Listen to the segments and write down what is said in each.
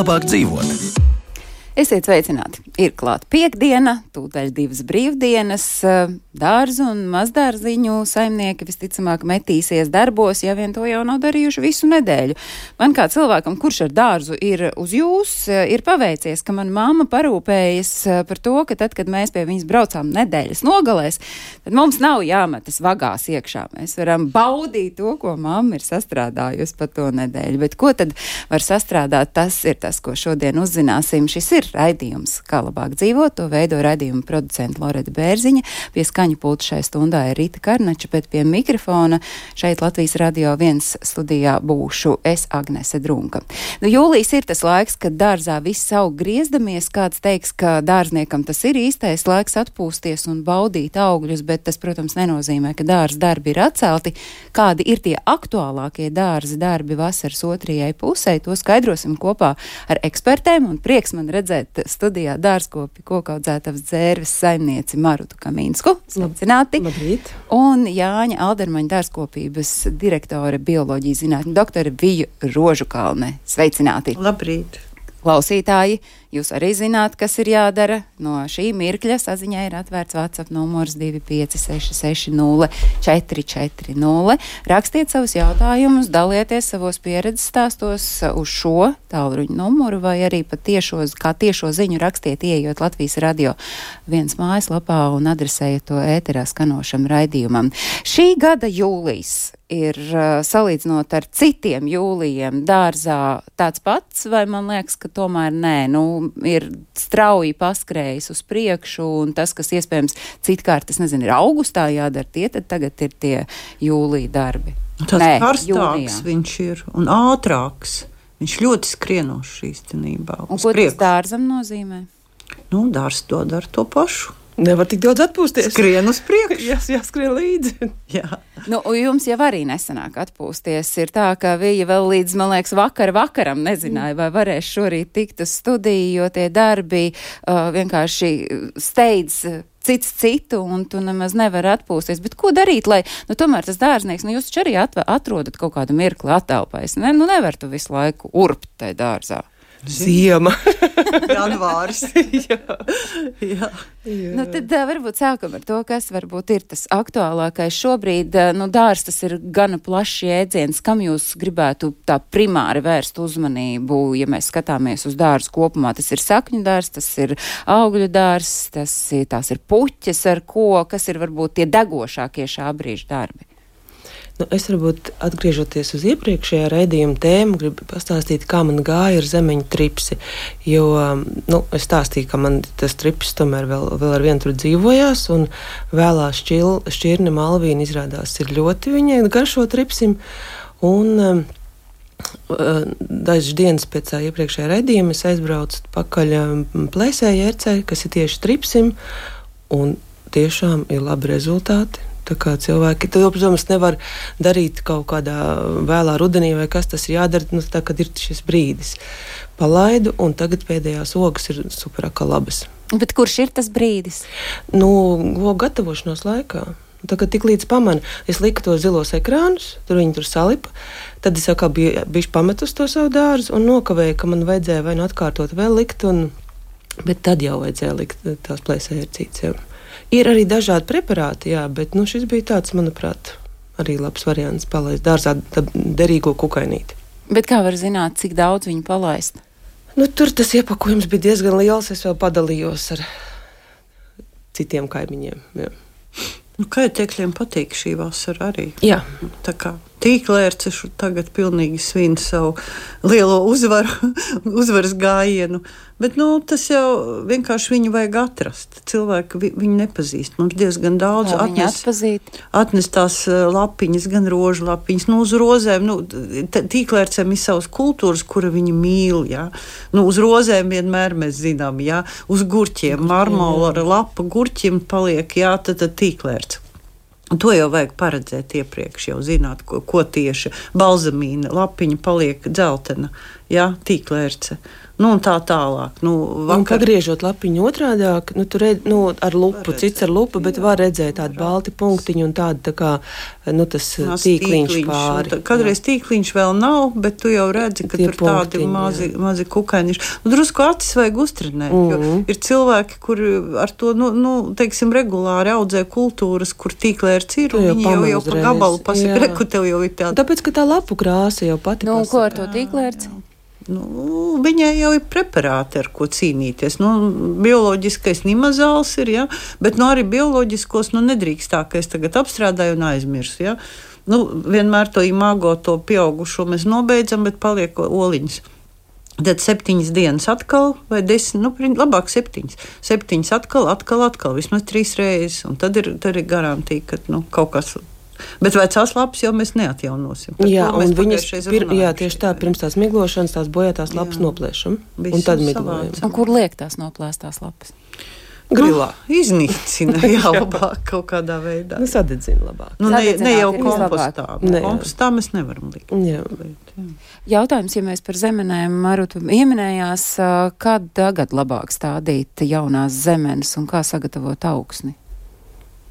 labāk dzīvot. Esiet sveicināti! Ir klāt piektdiena, tūdaļ 2 brīvdienas, dārzu un mazdārziņu saimnieki visticamāk metīsies darbos, ja vien to jau nav darījuši visu nedēļu. Man kā cilvēkam, kurš ar dārzu ir uz jūs, ir paveicies, ka man mamma parūpējas par to, ka tad, kad mēs pie viņas braucām nedēļas nogalēs, tad mums nav jāmetas vagās iekšā. Mēs varam baudīt to, ko mamma ir sastrādājusi pa to nedēļu. Bet ko tad var sastrādāt? Tas ir tas, ko šodien uzzināsim. Šis ir raidījums Kā labāk dzīvot, to veido raidījuma producenta Loreta Bērziņa, pie skaņu pulta šai stundā ir Rita Karnača, bet pie mikrofona šeit Latvijas Radio 1 studijā būšu es, Agnese Drunka. Jūlijs ir tas laiks, kad dārzā viss aug griezdamies, kāds teiks, ka dārzniekam tas ir īstais laiks atpūsties un baudīt augļus, bet tas, protams, nenozīmē, ka dārza darbi ir atcelti. Kādi ir tie aktuālākie dārza darbi vasaras otrajai pusē, to skaidrosim kopā ar ekspertēm, un prieks man redzēt studijā dārzkopi kokaudzētavas dzērves saimnieci Marutu Kamīnsku. Sveicināti! Labrīt! Un Jāņa Aldermaņa dārzkopības direktore bioloģijas zinātņu doktore Viju Rožukalne. Sveicināti! Labrīt! Klausītāji, jūs arī zināt, kas ir jādara. No šī mirkļa saziņai ir atvērts WhatsApp numurs 25660 440. Rakstiet savus jautājumus, dalieties savos pieredzes stāstos uz šo tālruņa numuru vai arī pat tiešo ziņu rakstiet, ieejot Latvijas Radio 1 mājaslapā un adresējiet to ēterā skanošam raidījumam. Šī gada jūlijs ir, salīdzinot ar citiem jūlijiem, dārzā tāds pats, vai man liekas, ka tomēr nē, ir strauji paskrējis uz priekšu, un tas, kas iespējams citkārt, es nezinu, ir augustā jādara, tad tagad ir tie jūlija darbi. Tas karstāks viņš ir un ātrāks. Viņš ļoti skrienošs īstenībā. Un ko tas dārzam nozīmē? Dārs to dara to pašu. Nevar tik daudz atpūsties. Skrien uz priekšu. Jāskrien līdzi. Jā. Jums jau arī nesanāk atpūsties. Ir tā, ka Vija vēl līdz, man liekas, vakaram nezināja, vai varēs šorīt tikt uz studiju, jo tie darbi vienkārši steidz cits citu, un tu nemaz nevar atpūsties. Bet ko darīt, lai, tomēr tas dārznieks, jūs taču arī atrodat kaut kādu mirkli atelpais. Nevar tu visu laiku urbt tai dārzā. Ziema. Janvāris. Jā. Tad varbūt sākam ar to, kas varbūt ir tas aktuālākais šobrīd. Dārs tas ir gana plašs jēdziens. Kam jūs gribētu tā primāri vērst uzmanību, ja mēs skatāmies uz dārzu kopumā? Tas ir sakņu dārs, tas ir augļu dārs, tās ir puķes ar ko, kas ir varbūt tie degošākie šā brīža darbi? Es varbūt atgriežoties uz iepriekšējā raidījuma tēmu, gribu pastāstīt, kā man gāja ar zemeņu tripsi, jo, es stāstīju, ka man tas trips tomēr vēl ar vienu tur dzīvojās, un vēlā šķirne Malvīna izrādās ir ļoti viņai garšo tripsim, un dažas dienas pēc tā iepriekšējā raidījuma es aizbraucu pakaļ plēsēja ērcei, kas ir tieši tripsim, un tiešām ir labi rezultāti. Tā kā cilvēki, to, protams, nevar darīt kaut kādā vēlā rudenī vai kas tas ir jādara, tā, kad ir šis brīdis. Palaidu, un tagad pēdējās ogas ir superākā labas. Bet kurš ir tas brīdis? Ogu gatavošanās laikā. Tagad tik līdz pamanu, es liku tos zilos ekrānus, viņi tur salipa, tad es jau bišķi pametu uz to savu dārzu un nokavēju, ka man vajadzēja vai atkārtot vēl likt, bet tad jau vajadzēja likt tās plēsējērcītes jau. Ir arī dažādi preparāti, jā, bet šis bija tāds, manuprāt, arī labs variants palaist dārzā derīgo kukainīti. Bet kā var zināt, cik daudz viņu palaist? Tur tas iepakojums bija diezgan liels, es vēl padalījos ar citiem kaimiņiem. Jā. Kaitekļiem patīk šī vasara arī. Jā. Tā kā tīklērces tagad pilnīgi svin savu lielo uzvaras gājienu. Bet tas jau vienkārši viņu vajag atrast. Cilvēki viņu nepazīst. Mums diezgan daudz atnes tās lapiņas, gan rožu lapiņas. Uz rozēm, tīklērcēm ir savas kultūras, kura viņi mīl. Ja? Uz rozēm vienmēr mēs zinām, ja? Uz gurķiem, marmola ar lapa gurķim paliek, jā, tad tīklērts. Un to jau vajag paredzēt iepriekš, jau zināt, ko tieši balzamīna lapiņa paliek dzeltena. jā, tīklērce. Nu, un tā tālāk. Nu, Un pagriežot lapiņu otrādāk, tur ar lupu, cits ar lupu, bet var redzēt tādu balti punktiņu un tādu tā kā, tas tīkliņš pāri. Kādreiz tīkliņš vēl nav, bet tu jau redzi, ka Tie tur tādi mazi kukainiši. Drusku acis vajag uztrenēt, jo ir cilvēki, kuri ar to, teiksim, regulāri audzē kultūras, kur tīklērts ir, un viņi jau pa gabalu pasaka, reku tev jau ir tāda. Tāpēc, ka tā lapu krāsa jau pati pasaka. Ko ar to tīklērts? Viņai jau ir preparāti, ar ko cīnīties. Bioloģiskais nimazāls ir, ja? Bet arī bioloģiskos nedrīkst tā, ka es tagad apstrādāju un aizmirsu. Ja? Vienmēr to imago, to pieaugušo mēs nobeidzam, bet paliek oliņas. Tad 7 dienas atkal, vai 10, labāk 7. 7 atkal, vismaz 3 reizes. Un tad ir garantija, ka kaut kas. Bet vecās lapas jau mēs neatjaunosim. Jā, un viņas tieši tā, pirms tās miglošanas, tās bojātās lapas noplēšam. Un tad miglojam. Un kur liek tās noplēstās lapas? Grilā. Iznīcina, labāk kaut kādā veidā. Sadedzina labāk. Ne jau kompostā. Kompostā mēs nevaram likt. Jā. Jautājums, ja mēs par zemenēm, Maruta ieminējās, kad tagad labāk stādīt jaunās zemenes un kā sagatavot augsni?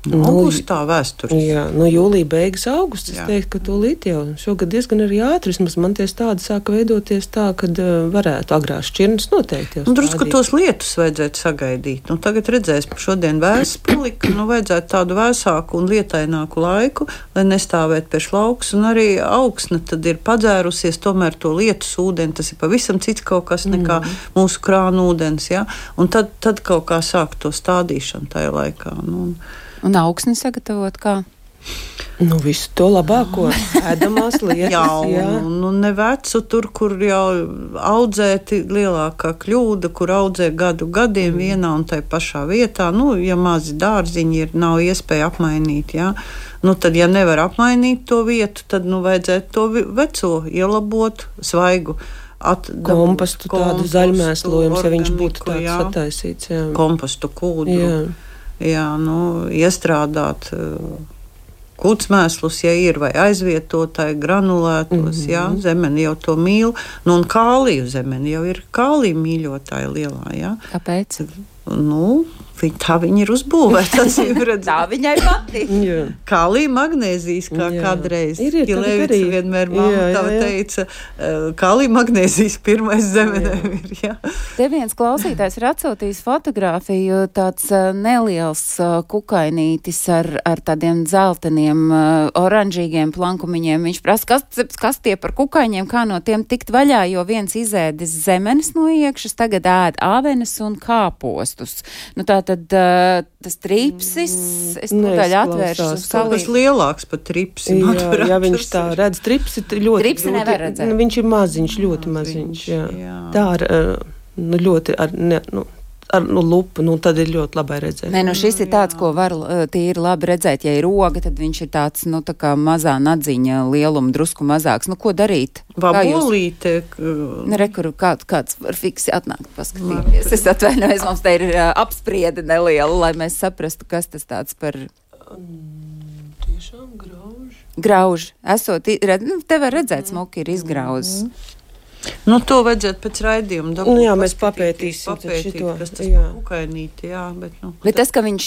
Augustā vēsturiski. Jā, jūlija beigas augusts, es teiktu, ka tūlīt jau šogad diezgan arī ātri, vismaz man tie tādi sāka veidoties tā, kad varētu agrās šķirnes noteikti jau stādīt. Drusku tos lietus vajadzētu sagaidīt. Tagad redzēs, šodien vēss palika, vajadzētu tādu vēsāku un lietaināku laiku, lai nestāvētu pie lauks, un arī augsne tad ir padzērusies, tomēr to lietus ūdeni, tas ir pavisam cits kaut kas nekā mūsu krānu ūdens, ja? Un tad kaut kā sāk to stādīšanu tajā laikā. Un augsni sagatavot kā? Visu to labāko, ēdamās lietas. Ne vecu tur, kur jau audzēti lielākā kļūda, kur audzē gadiem vienā un tai pašā vietā. Ja mazi dārziņi ir, nav iespēja apmainīt, jā. Tad, ja nevar apmainīt to vietu, tad vajadzētu to veco ielabot, svaigu. Kompostu tādu zaļmēslojums, ja viņš būtu tāds sataisīts. Jā. Kompostu kūdru. Jā, iestrādāt kūtsmēslus, ja ir, vai aizvietotāji granulētos, zemeni jau to mīl. Un kāliju zemeni jau ir kāliju mīļotāja lielā, jā. Kāpēc? Tā viņa ir uzbūvēta. Tā viņai patīk. Kālija magnēzijas, kā kādreiz. Ilēvica vienmēr mamma teica, kālija magnēzijas pirmais zemenēm ir. Jā. Te viens klausītājs ir atsūtījis fotogrāfiju, tāds neliels kukainītis ar tādiem dzelteniem, oranžīgiem plankumiņiem. Viņš prasa, kas tie par kukaiņiem, kā no tiem tikt vaļā, jo viens izēdis zemenes no iekšas, tagad ēd āvenes un kāpostus. Tad tas tripsis, es tūdaļ atvēršu uz salību. Tas lielāks pat tripsi. Jā, viņš tā redz, tripsi ļoti. Tripsi nevar redzēt. Viņš ir maziņš, ļoti maziņš. Jā. Tā ar ļoti ar lupu, tad ir ļoti labi redzēt. Šis ir tāds, ko var tīri labi redzēt. Ja ir roga, tad viņš ir tāds, tā kā mazā nadziņa lieluma, drusku mazāks. Ko darīt? Vabolīte. Rekuru, kāds var fiksi atnākt paskatīties. Es atvainojos, mums te ir apspriede neliela, lai mēs saprastu, kas tas tāds par... Tiešām grauži. Grauži. Esot, te var redzēt, smuki ir izgrauzis. To vajadzētu pēc raidījuma. Jā, mēs papētīsim šito. Kas tas par kukainīti, jā. Bet tas, ka viņš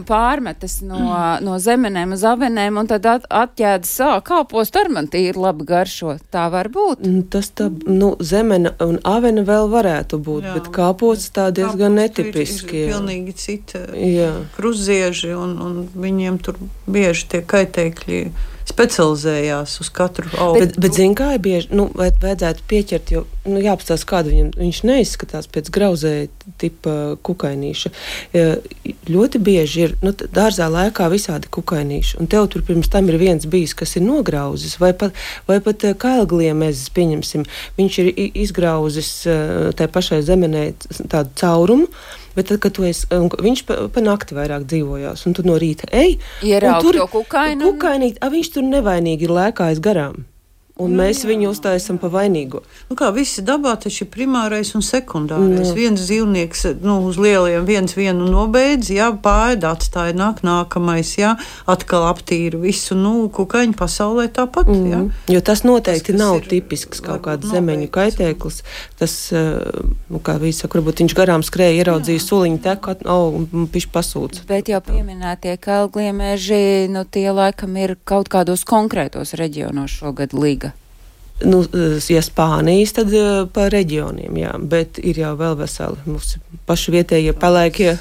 pārmetas no zemenēm uz avenēm un tad atķēdas kāpostu ar man tīri labi garšo, tā var būt? Tas tā, zemene un avene vēl varētu būt, bet kāposts tā diezgan netipiski. Ir pilnīgi cita kruzieži un viņiem tur bieži tie kaitēkļi specializējās uz katru augu. Bet zin kā ir bieži, vajadzētu pieķert, jo, jāapstās kādu viņš neizskatās pēc grauzēja tipa kukainīša. Ļoti bieži ir, dārzā laikā visādi kukainīši, un tev tur pirms tam ir viens bijis, kas ir nograuzis, vai pat kailgliemezes, pieņemsim, viņš ir izgrauzis tai pašai zemenē tādu caurumu, bet tad, kad viņš pa nakti vairāk dzīvojās, un tu no rīta ej, ieraug to kukainu. Kukainīt, viņš tur nevainīgi ir lēkājis garām. Un mēs viņu uztaisam pa vainīgo. Nu kā visi dabā taču ir primārais un sekundārais. Viens dzīvnieks uz lieliem vienu nobeidz, pāēd atstāja, nākamais, atkal aptīra visu, kukaiņu pasaulē tāpat, Jo tas noteikti nav tipisks kaut kāds zemeņu kaitēklis. Tas, kā visi saka, varbūt viņš garām skrēja, ieraudzīja suliņu teku, un pišķi pasūca. Bet jau pieminētie kalgliemeži, tie laikam ir kaut kādos konkrētos reģionos šogad līga. Ja Spānijas, tad pa reģioniem, bet ir jau vēl veseli mūsu paši vietējie pelēkie,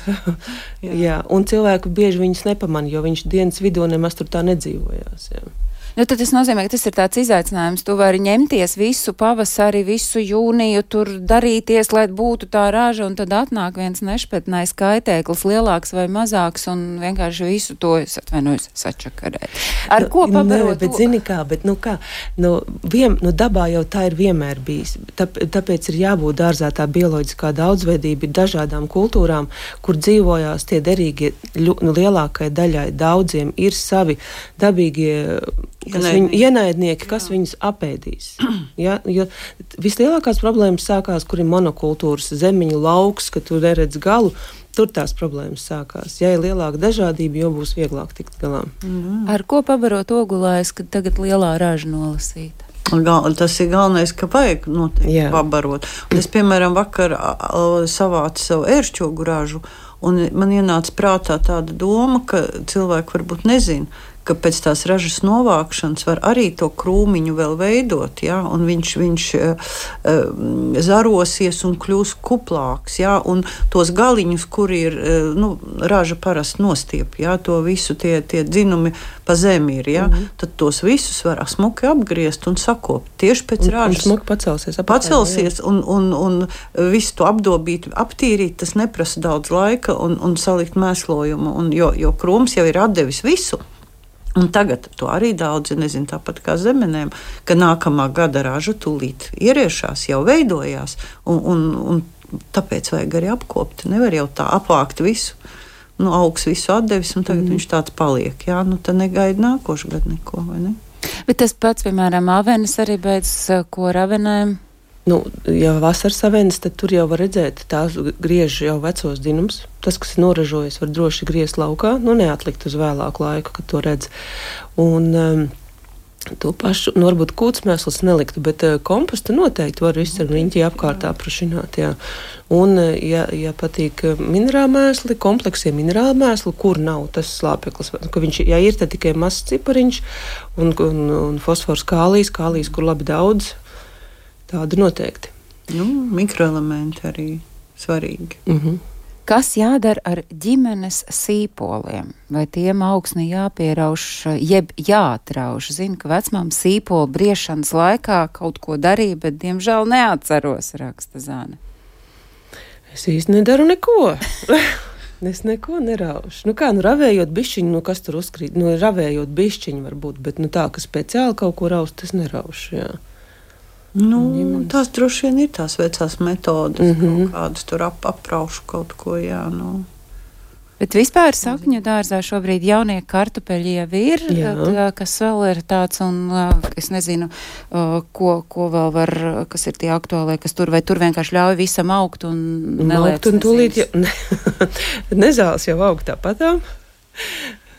un cilvēku bieži viņus nepamanīja, jo viņš dienas vidū nemaz tur tā nedzīvojās, Tad tas nozīmē, ka tas ir tāds izaicinājums. Tu vari ņemties visu pavasari, visu jūniju, tur darīties, lai būtu tā raža, un tad atnāk viens nešpatnais kaitēklis, lielāks vai mazāks, un vienkārši visu to, es atvainojos, sačakarēt. Ar ko pabarot? Bet zini kā, dabā jau tā ir vienmēr bijis. Tāpēc ir jābūt dārzā tā bioloģiskā daudzveidība dažādām kultūrām, kur dzīvojās tie derīgie lielākai daļai. Daudziem ir savi dabīgie ienaidnieki, kas viņus apēdīs. Jo vislielākās problēmas sākās, kur ir monokultūras zemiņu lauks, ka tu neredz galu, tur tās problēmas sākās. Ja ir lielāka dažādība, jo būs vieglāk tikt galā. Ar ko pabarot ogulājs, kad tagad lielā raža nolasīta? Tas ir galvenais, ka vajag noteikti pabarot. Un es, piemēram, vakar savācu savu ēršķogu ražu, un man ienāca prātā tāda doma, ka cilvēki varbūt nezina, ka pēc tās ražas novākšanas var arī to krūmiņu vēl veidot, un viņš zarosies un kļūs kuplāks, un tos galiņus, kuri ir, raža parasti nostiep, to visu tie dzinumi pa zemi ir, tad tos visus var smuki apgriezt un sakopt tieši pēc ražas. Un smuki pacelsies un visu to apdobīt, aptīrīt, tas neprasa daudz laika un salikt mēslojumu, jo krūms jau ir atdevis visu. Un tagad to arī daudzi nezina, tāpat kā zemenēm, ka nākamā gada raža tūlīt ieriešās, jau veidojās, un tāpēc vajag arī apkopt. Nevar jau tā apvākt visu, augs visu atdevis, un tagad viņš tāds paliek. Tad negaida nākošu gadu neko, vai ne? Bet tas pats, piemēram, avenes arī beidzas, ko ar avenēm? Ja vasaras avenes, tad tur jau var redzēt, tās griež jau vecos dzinums. Tas, kas ir noražojis, var droši griezt laukā, neatlikt uz vēlāku laiku, kad to redz. Un to pašu, varbūt kūtsmēsls neliktu, bet kompostu noteikti var visu ar riņķi apkārt aprašināt, Un, ja patīk minerālmēsli, kompleksie minerālmēsli, kur nav tas slāpeklis, ka viņš, ja ir, tad tikai mazs cipariņš un fosfors kālijs, kur labi daudz, tāda noteikti. Mikroelementi arī svarīgi. Kas jādara ar ģimenes sīpoliem? Vai tiem augsni jāpierauš, jeb jāatrauž? Zinu, ka vecmām sīpolu briešanas laikā kaut ko darīja, bet diemžēl neatceros, raksta Zane. Es īsti nedaru neko. Es neko neraušu. Ravējot bišķiņu, kas tur uzkrīt? Ravējot bišķiņu varbūt, bet tā, ka speciāli kaut ko raust, tas neraušu, Tās droši vien ir tās vecās metodas, kaut kādas tur apraušu kaut ko, Bet vispār sakņu dārzā šobrīd jaunie kartupeļi jau ir, kas vēl ir tāds, un es nezinu, ko vēl var, kas ir tie aktuālie, kas tur, vai tur vienkārši ļauj visam augt un neliec. Un tūlīt nezāles jau aug tāpatām.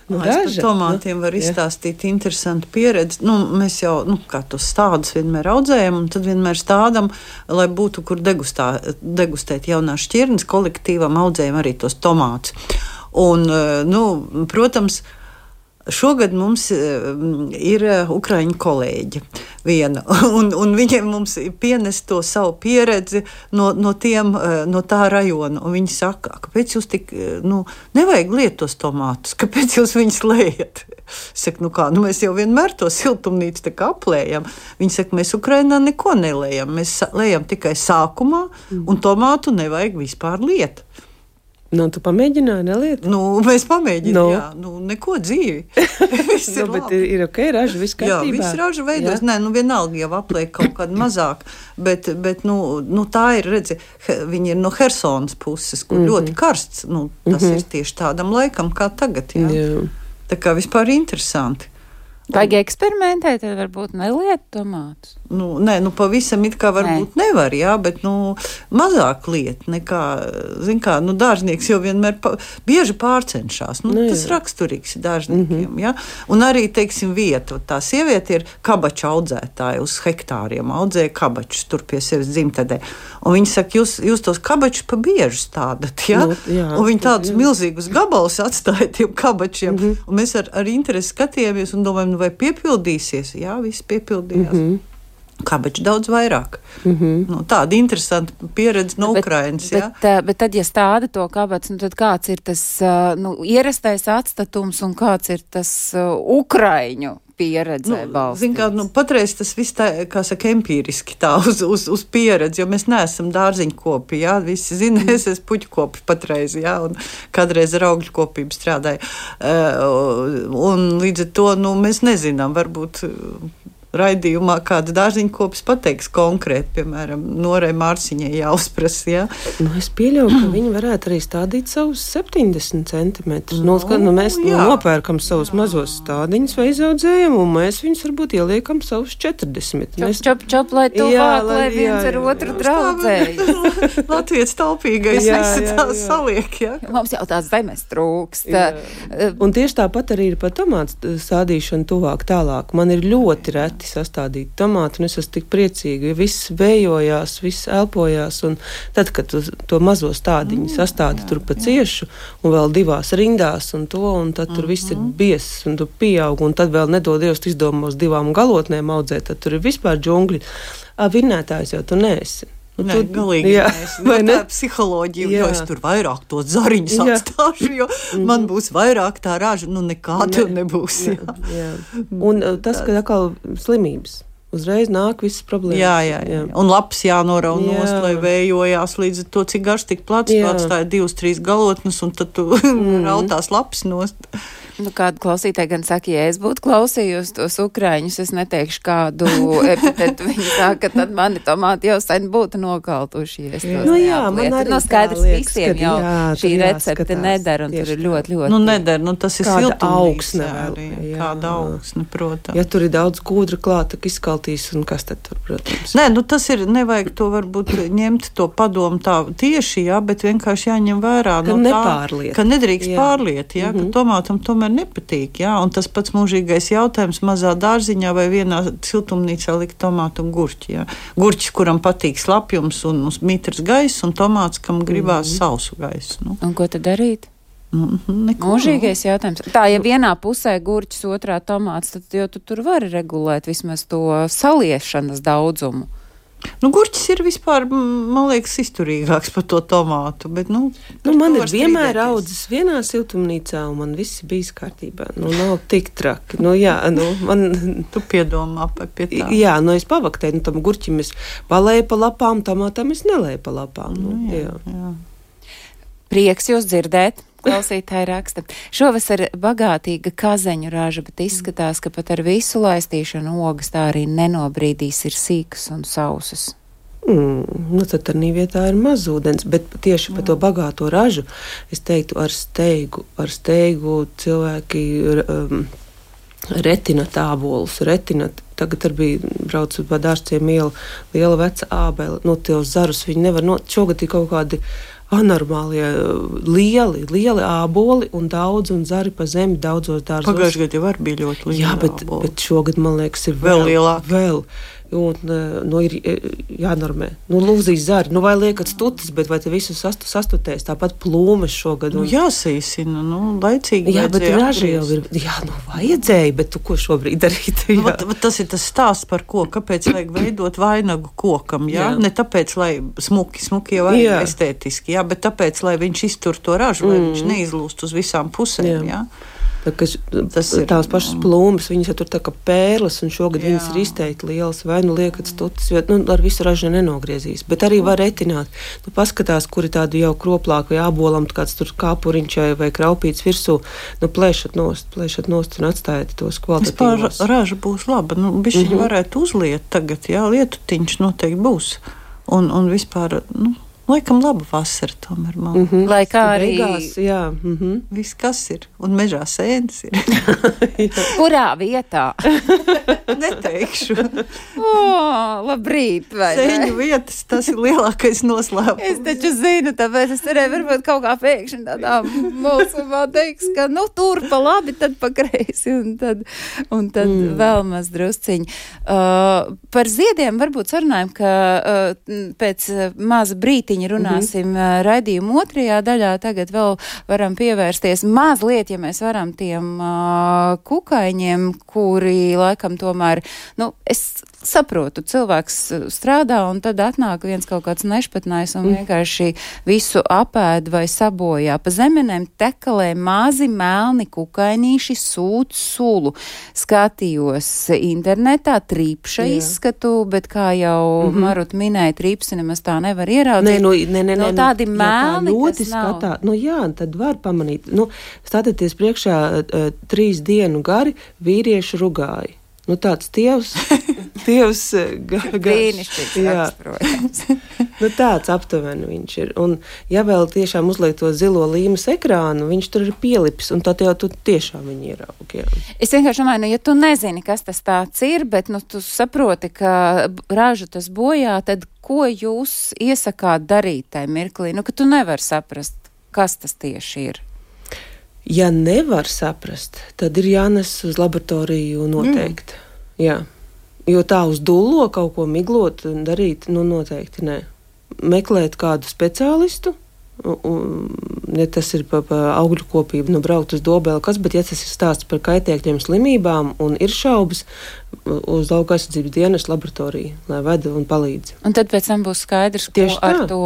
Par tomātiem var izstāstīt interesantu pieredzi. Mēs jau, kā tos stādus vienmēr audzējam, un tad vienmēr stādam, lai būtu, kur degustēt jaunās šķirnes, kolektīvam audzējam arī tos tomātus. Un, protams, šogad mums ir ukraiņu kolēģi viena, un viņiem mums pienes to savu pieredzi no tā rajona. Un viņi saka, kāpēc jūs tik, nevajag liet tos tomātus, kāpēc jūs viņus lejat? Es saku, mēs jau vienmēr to siltumnīcu tā kā aplējam. Viņi saka, mēs Ukrainā neko nelējam, mēs lejam tikai sākumā, un tomātu nevajag vispār liet. Tu pamēģināji neliet? Mēs pamēģinājām, neko dzīvi. Bet ir ok, raža viss kārtībā. Jā, viss raža veidos. Vienalga jau apliek kaut kādu mazāk, bet tā ir, redzi, viņi ir no Hersonas puses, kur ļoti karsts. Tas ir tieši tādam laikam, kā tagad, Tā kā vispār interesanti. Vajag eksperimentēt, tad varbūt neliet tomātus. Nē, pavisam it kā varbūt nevar, jā, bet, mazāk liet nekā, zin kā, dārznieks jau vienmēr bieži pārcenšās. Tas raksturīgs dārzniekiem, jā. Un arī, teiksim, vieta. Tā sieviete ir kabaču audzētāja uz hektāriem, audzēja kabačus tur pie sevis dzimtedē. Un viņi saka, jūs tos kabačus pa bieži stādat, jā? Un viņi tādus milzīgus gabalus atstāja tiem kabačiem. Un mēs ar interesi skatījāmies un domājam, vai piepildīsies? Jā, viss piepildījās. Kabaču daudz vairāk. Tāda interesanta pieredze no Ukrainas. Bet tad, ja stāda to kabacu, tad kāds ir tas ierastais atstatums un kāds ir tas Ukraiņu pieredzē balstīts? Zin kā, patreiz tas viss tā, kā saka, empīriski tā uz pieredzi, jo mēs neesam dārziņkopi, jā, visi zina, es esmu puķkopi patreiz, jā, un kādreiz ar augļu kopību strādāju. Un līdz ar to, mēs nezinām, varbūt raidījumā kāds dārziņkopis pateiks konkrēti, piemēram, Norai Mārciņai jāuzprasa, jā. Es pieļauju, ka viņi varētu arī stādīt savus 70 centimetrus. Mēs nopērkam savus mazos stādiņus vai izaudzējam, un mēs viņus varbūt ieliekam savus 40. Čop, lai tuvāk, lai viens ar otru draudzējas. Latvijas taupīgais visi tā saliek, jā. Mums jau tās zemes trūkst. Un tieši tāpat arī ir par tomātu stādīšanu tuvāk tālāk. Man ir ļoti reti sastādīt tomātu, un es esmu tik priecīga, jo viss vējojās, viss elpojās, un tad, kad to mazo stādiņu sastādi tur pa ciešu, un vēl 2 rindās, un tad tur viss ir biezs, un tu pieaug, un tad vēl nedod Dievs izdomos 2 galotnēm audzēt, tad tur ir vispār džungļi. Vinnētājs jau tu neesi. Galīgi tā psiholoģija, jo es tur vairāk to zariņus atstāšu, jo man būs vairāk tā raža, nekā tev nebūs. Jā. Un tas, ka atkal slimības. Uzreiz nāk visas problēmas. Jā. Un lapas jānorauj nost, lai vējojās līdz to, cik garš tik plats, atstāja 2-3 galotnes, un tad tu rautās lapas nost. Kādu klausītāju gan saka, ja es būtu klausījusi tos Ukraiņus, es neteikšu kādu epitetu. Viņi saka, tad mani tomāti jau sen būtu nokaltušies. Man arī skaidrs visiem jau šī recepte nedara, un tur ir ļoti. Nedara, tas ir siltumnīca. Kāda augsne, protams. Ja tur ir daudz kūdra klāta, izkaltīs, un kas tad tur, protams? Nē, tas ir, nevajag to varbūt ņemt to padomu tā tieši, jā, bet vienkārši jāņem vērā. Nepārliet. Ka nedrīkst pārliet, jā, ka tomātam tomēr nepatīk, jā, un tas pats mūžīgais jautājums mazā dārziņā vai vienā siltumnīcā likt tomātu un gurķi, jā. Gurķis, kuram patīk slapjums un mitrs gaiss, un tomāts, kam gribās sausu gaisu. Un ko tad darīt? Mūžīgais jautājums. Tā, ja vienā pusē gurķis, otrā tomāts, tad jau tu tur vari regulēt vismaz to saliešanas daudzumu. Gurķis ir vispār, man liekas, izturīgāks par to tomātu, bet, man ir vienmēr audzis vienā siltumnīcā, un man viss bijis kārtībā. Nav tik traki. Tu piedomā pie tā. Jā, es pavaktēju, tam gurķim es palēju pa lapām, tomātam es nelēju pa lapām. Jā. Prieks jūs dzirdēt. Klausītāji raksta. Šovasar bagātīga kazeņu raža, bet izskatās, ka pat ar visu laistīšanu ogas tā arī nenobrīdīs ir sīkas un sausas. Tad tādā vietā ir maz ūdens, bet tieši par to bagāto ražu es teiktu ar steigu cilvēki retina tābolus, tagad arī bija braucu pa Dārzciem ielu, liela veca ābele, tos zarus viņi nevar šogad ir kaut kādi anormālie, lieli āboli un zari pa zemi daudzos dārzos. Pagājušajā gadā jau bija ļoti liela. Jā, bet šogad, man liekas, ir vēl lielāk. Un ir jānormē. Lūzīs zari, vai liekat stutis, bet vai te visu sastutēs, tāpat plūmes šogad. Jāsīsina, laicīgi. Jā, bet raža jau ir, vajadzēja, bet tu ko šobrīd darīt? Tas ir tas stāsts par ko, kāpēc vajag veidot vainagu kokam, jā? Ne tāpēc, lai smuki jau arī estētiski, jā, bet tāpēc, lai viņš iztur to ražu, lai viņš neizlūst uz visām pusēm, jā. Tās pašas plūmes, viņas jau tur tā kā pērles, un šogad viņas ir izteikti lielas, vai liekat stutis, jo ar visu ražu nenogriezīs. Bet arī var retināt. Paskatās, kuri tādu jau kroplāk vai ābolam, kāds tur kāpuriņš vai kraupīts virsū, plēšat nost un atstājiet tos kvalitatīvos. Vispār raža būs laba. Bišķiņi varētu uzliet tagad, jā, lietutiņš noteikti būs. Un vispār, Laikam laba vasara tomēr man. Lai kā arī beigās, jā. Viss, kas ir. Un mežā sēnes ir. Kurā vietā? Neteikšu. Labrīt, vai ne? Sēņu vietas, tas ir lielākais noslēpums. Es taču zinu, tāpēc es cerēju, varbūt kaut kā pēkšņi tādā mulsumā teiks, ka nu tur pa labi, tad pa kreisi, un tad vēl maz drusciņi. Par ziediem varbūt sarunājam, ka pēc maza brītiņa runāsim raidījumu otrajā daļā. Tagad vēl varam pievērsties mazliet, ja mēs varam, tiem kukaiņiem, kuri laikam tomēr, es saprotu, cilvēks strādā un tad atnāk viens kaut kāds nešpatnājs un vienkārši visu apēd vai sabojā. Pa zemenēm tekalē mazi melni kukainīši sūc sulu. Skatījos internetā trīpša izskatu, bet kā jau Maruta minēja, trīpsi nemaz tā nevar ieraudzīt. Nē, tādi melni, ļoti kas nav. Jā, tad var pamanīt. Stāties priekšā 3 dienu gari vīrieši rugāji. Tāds tievs brīnišķīgs rakstprojams. Tāds aptuveni viņš ir. Un ja vēl tiešām uzliek to zilo līmes ekrānu, viņš tur ir pielipis, un tad jau tu tiešām viņu ieraug. Jā. Es vienkārši domāju, ja tu nezini, kas tas tāds ir, bet tu saproti, ka ražu tas bojā, tad ko jūs iesakāt darīt tajā mirklī? Ka tu nevari saprast, kas tas tieši ir. Ja nevar saprast, tad ir jānes uz laboratoriju noteikti. Jā. Jo tā uz dullo kaut ko miglot darīt, noteikti nē. Meklēt kādu speciālistu, ja tas ir pa augļu kopību, braukt uz Dobeli, bet ja tas ir stāsts par kaitēkļiem slimībām un ir šaubas, uz Lauka aizsardzības dienas laboratoriju, lai veda un palīdz. Un tad pēc tam būs skaidrs, ko ar to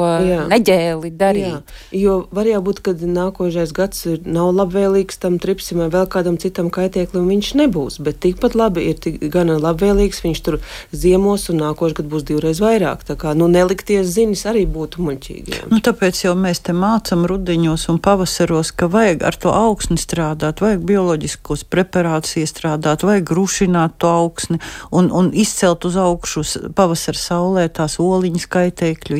neģēli darīt. Jā. Jo var jābūt, kad nākošais gads nav labvēlīgs tam tripsim vai vēl kādam citam kaitēklim, viņš nebūs, bet tikpat labi ir gana labvēlīgs, viņš tur ziemos un nākošais gads būs 2 reizes vairāk. Tā kā, nelikties zinis arī būtu muļķīgi. Tāpēc jau mēs te mācam rudiņos un pavasaros, ka vajag ar to augsni strādāt, vajag bioloģiskos preparātus iestrādāt, vajag rušināt to augsni un izcelt uz augšu pavasara saulē tās oliņas kaitēkļu.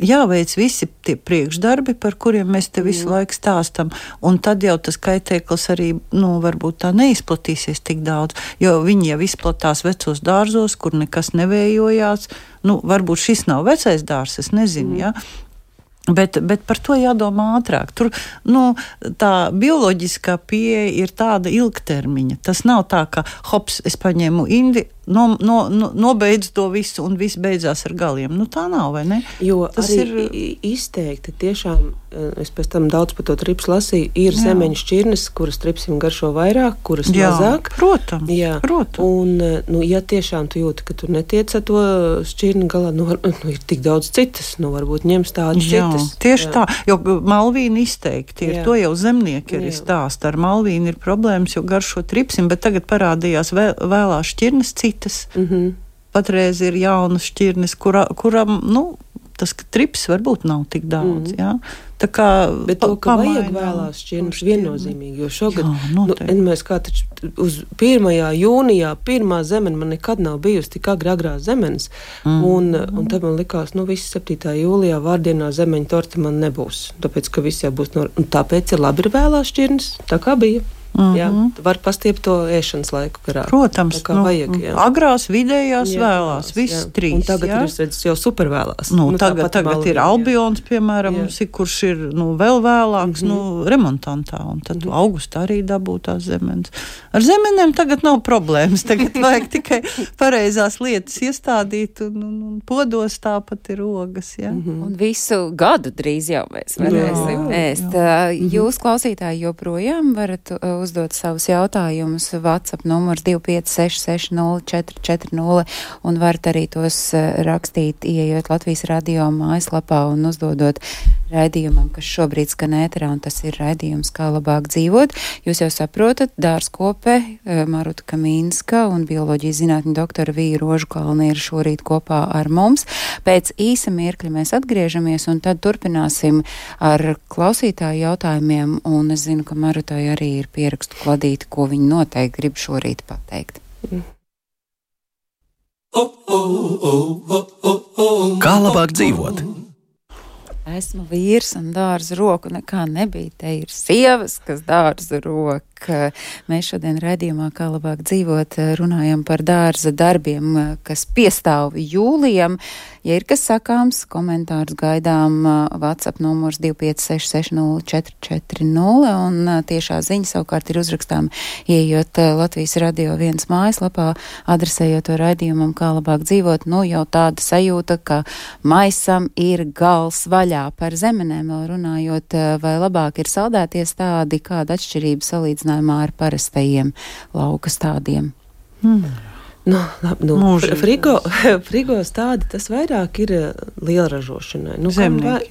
Jāveic visi tie priekšdarbi, par kuriem mēs te visu laiku stāstam, un tad jau tas kaitēklis arī, varbūt tā neizplatīsies tik daudz, jo viņi jau izplatās vecos dārzos, kur nekas nevējojās. Varbūt šis nav vecais dārs, es nezinu, Bet par to jādomā ātrāk. Tur, tā bioloģiskā pieeja ir tāda ilgtermiņa. Tas nav tā, ka, hops, es paņēmu indi, nobeidzu to visu un viss beidzās ar galiem. Tā nav, vai ne? Jo tas arī izteikti tiešām, es pēc tam daudz par to tripsu lasīju, ir zemeņu šķirnes, kuras tripsim garšo vairāk, kuras mazāk. Protams. Un, ja tiešām tu jūti, ka tu netiec ar to šķirni galā, ir tik daudz citas, varbūt ņems tādas citas. Tieši tā, jo malvīni izteikti ir. To jau zemnieki arī stāsta. Ar malvīni ir problēmas, jo garšo tripsim, bet tagad parādījās vēlās šķirnes citas. Patreiz ir jaunas šķirnes, kuram, tas trips varbūt nav tik daudz, Tā kā bet to, ka vajag vēlās šķirnes viennozīmīgi, jo šogad, mēs kā taču uz 1. jūnijā, pirmā zemene man nekad nav bijusi tik agrā zemenes, un tad man likās, viss 7. jūlijā vārdienā zemeņa torte man nebūs, tāpēc, ka viss jau būs un tāpēc ir labi ir vēlās šķirnes, tā kā bija. Jā, var pastiept to ēšanas laiku garā. Protams, vajag, agrās, vidējās, vēlās, viss 3. Un tagad ir, es redzu, jau super vēlās. Tagad ir Albions, piemēram, kurš ir, vēl vēlāks, remontantā, un tad augustā arī dabū tās zemenes. Ar zemenēm tagad nav problēmas, tagad vajag tikai pareizās lietas iestādīt, un podos tāpat ir ogas, Un visu gadu drīz jau mēs varēsim ēst. Jūs, klausītāji, joprojām varat uzdot savus jautājumus. WhatsApp numurs 25660440 un varat arī tos rakstīt, ieejot Latvijas radio mājaslapā un uzdodot raidījumam, kas šobrīd skan ēterā, un tas ir raidījums Kā labāk dzīvot. Jūs jau saprotat, dārzkope Maruta Kamīnska un bioloģijas zinātņu doktora Vija Rožukalne ir šorīt kopā ar mums. Pēc īsa mirkļa mēs atgriežamies un tad turpināsim ar klausītāju jautājumiem, un es zinu, ka Marutai arī ir pierakstu kladīti, ko viņi noteikti grib šorīt pateikt. Kā labāk dzīvot? esmu vīrs un dārza roku nekā nebija. Te ir sievas, kas dārza roku. Mēs šodien raidījumā Kā labāk dzīvot runājam par dārza darbiem, kas piestāv jūlijam. Ja ir kas sakāms, komentārus gaidām WhatsApp numurs 25660440 un tiešā ziņa savukārt ir uzrakstām ieejot Latvijas Radio 1 mājaslapā, adresējot to raidījumam Kā labāk dzīvot. Nu jau tāda sajūta, ka maisam ir gals vaļā. Par zemenēm vēl runājot, vai labāk ir saldētie stādi, kāda atšķirība salīdzinājumā ar parastajiem lauka stādiem? Frigo stādi tas vairāk ir lielražošanai.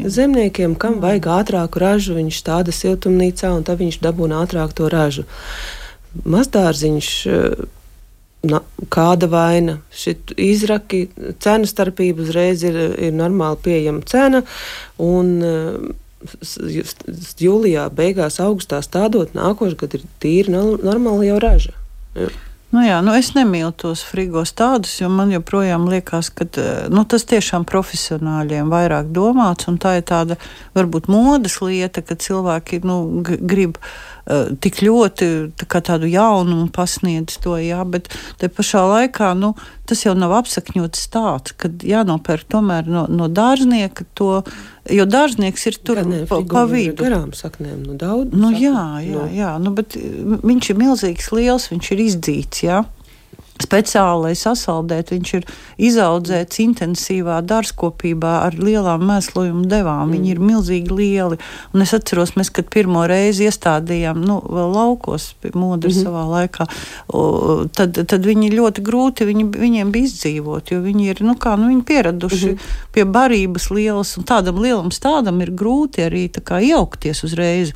Zemniekiem. Kam vajag ātrāku ražu, viņš stāda siltumnīcā un tad viņš dabūna ātrāk to ražu. Mazdārziņš, kāda vaina, šit izraki, cenu starpība uzreiz ir normāli pieejama cena un jūlijā, beigās, augustā stādot, nākošais gadu ir tīri normāli jau raža. Jā. Es nemīlu tos frigo stādus, jo man joprojām liekas, ka tas tiešām profesionāļiem vairāk domāts, un tā ir tāda varbūt modes lieta, ka cilvēki grib tik ļoti tādu jaunumu pasniedz to, jā, bet te pašā laikā, tas jau nav apsakņots stāsts, kad jānopērk tomēr no dārznieka to, jo dārznieks ir tur pa vidu. Garām saknēm, daudz. Jā, bet viņš ir milzīgs liels, viņš ir izdzīts, jā. Speciāli, lai sasaldēt, viņš ir izaudzēts intensīvā dārzkopībā ar lielām mēslojumu devām. Viņi ir milzīgi lieli. Un es atceros, mēs, kad pirmo reizi iestādījām, vēl laukos pie modra savā laikā, tad viņi ļoti grūti, viņiem bija izdzīvot, jo viņi ir, viņi pieraduši pie barības lielas, un tādam lielam stādam ir grūti arī tā kā iejaukties uzreiz.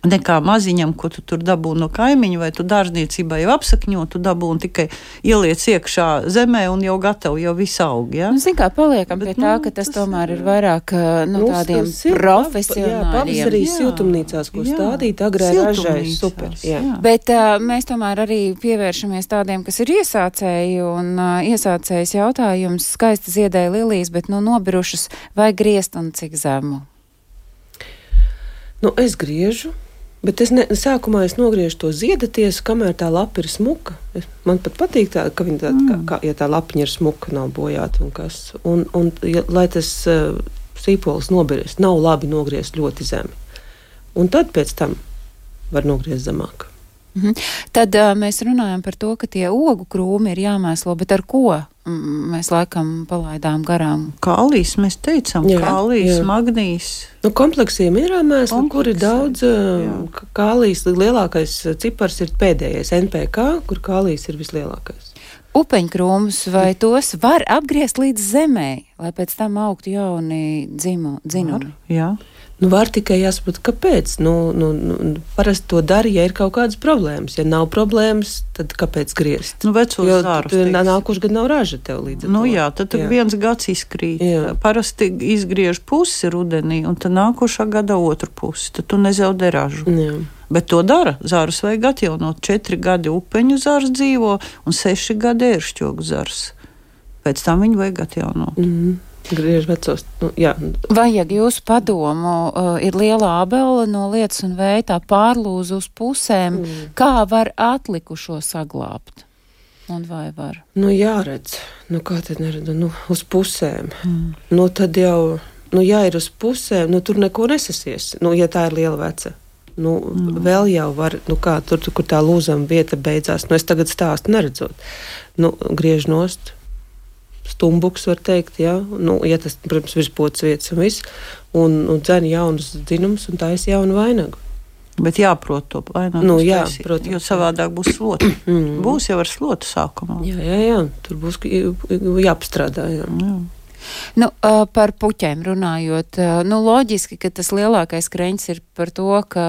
Nekā maziņam, ko tu tur dabūni no kaimiņa, vai tu dārzniecībā jau apsakņo, tu dabūni tikai ieliec iekšā zemē un jau gatavi, jau viss aug, ja? Kā paliekam pie tā, ka tas tomēr ir vairāk tādiem profesionāļiem. Pavasarī siltumnīcās, ko stādīt, agrē ražai, super. Jā. Bet mēs tomēr arī pievēršamies tādiem, kas ir iesācēji, un iesācējs jautājums, skaisti ziedēja lilijas, bet nobirušas, vai griezt un cik zemu? Es griežu. Bet sākumā es nogriežu to ziedatiesu, kamēr tā lapa ir smuka. Man pat patīk tā, ka viņa ja tā lapiņa ir smuka, nav bojāta un kas. Un lai tas sīpols nobirst, nav labi nogriezt ļoti zemi. Un tad pēc tam var nogriezt zemāk. Tad mēs runājam par to, ka tie ogu krūmi ir jāmēslo, bet ar ko mēs laikam palaidām garām? Kālijs, mēs teicām, kālijs, magnīs. Kompleksija minerālmēsli, kur ir daudz kālijs, lielākais cipars ir pēdējais NPK, kur kālijs ir vislielākais. Upeņkrūmus, vai tos var apgriezt līdz zemē, lai pēc tam augtu jauni dzinumi? Jā. Var tikai jāsaprot, kāpēc. Parasti to dara, ja ir kaut kādas problēmas. Ja nav problēmas, tad kāpēc griezt? Vecos zārus. Nākošais gads nav raža tev līdz ar to. Tad viens gads izkrīt. Jā. Parasti izgriež pusi rudenī, un tad nākošā gada otru pusi. Tad tu nezaudē ražu. Jā. Bet to dara. Zārus vajag atjaunot. 4 gadi upeņu zārs dzīvo, un 6 gadi ēršķogu zārs. Pēc tam viņu vajag atjaunot. Griež vecos, Vajag jūsu padomu, ir liela ābele no lietus un vēja, tā pārlūz uz pusēm. Kā var atlikušo saglābt? Un vai var? Jāredz. Kā tad neredz? Uz pusēm. Tad jau, ja ir uz pusēm, tur neko nesasies. Ja tā ir liela veca. Vēl jau var, tur, kur tā lūzama vieta beidzās. Es tagad stāstu neredzot. Griež nost. Stumbuks, var teikt, ja tas, protams, virspods vietas un viss, un dzen jaunus dzinumus un taisa jaunu vainagu. Bet jāprot to vainagu taisīt, protams. Jo savādāk būs slota. Būs jau ar slotu sākumā. Jā, tur būs jāpastrādā, jā. Par puķēm runājot, loģiski, ka tas lielākais kreņķis ir par to, ka